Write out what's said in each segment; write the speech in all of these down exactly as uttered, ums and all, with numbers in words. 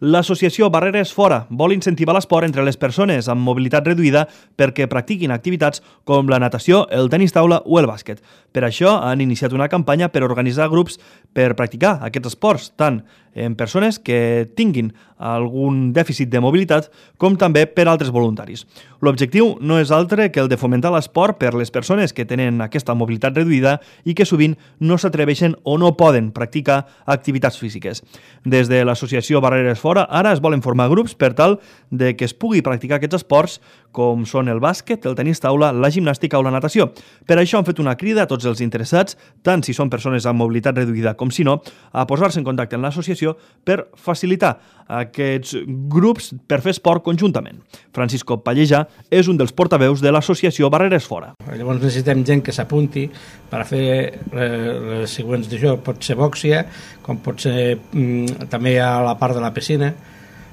L'associació Barreres Fora vol incentivar l'esport entre les persones amb mobilitat reduïda perquè practiquin activitats com la natació, el tenis taula o el bàsquet. Per això han iniciat una campanya per organitzar grups per practicar aquests esports, tant en persones que tinguin algun dèficit de mobilitat com també per altres voluntaris. L'objectiu no és altre que el de fomentar l'esport per les persones que tenen aquesta mobilitat reduïda i que sovint no s'atreveixen o no poden practicar activitats físiques. Des de l'associació Barreres Fora ara es volen formar grups per tal de que es pugui practicar aquests esports com són el bàsquet, el tenis taula, la gimnàstica o la natació. Per això han fet una crida a tots els interessats, tant si són persones amb mobilitat reduïda com si no, a posar-se en contacte amb l'associació per facilitar aquests grups per fer esport conjuntament. Francisco Pallejà és un dels portaveus de l'associació Barreres Fora. Llavors necessitem gent que s'apunti per a fer les següents d'això. Pot ser bòxia, com pot ser mm, també a la part de la piscina.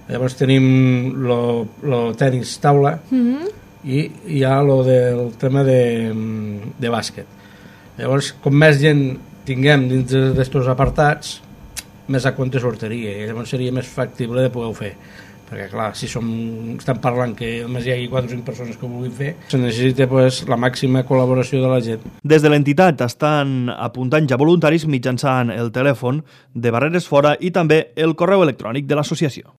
Llavors tenim el tenis taula mm-hmm. i hi ha lo del tema de, de bàsquet. Llavors, com més gent tinguem dins d'aquests apartats, més a compte sortiria, i llavors seria més factible de poder-ho fer. Perquè, clar, si som, estem parlant que només hi hagi quatre o cinc persones que ho vulguin fer, se necessita pues, la màxima col·laboració de la gent. Des de l'entitat estan apuntant ja voluntaris mitjançant el telèfon de Barreres Fora i també el correu electrònic de l'associació.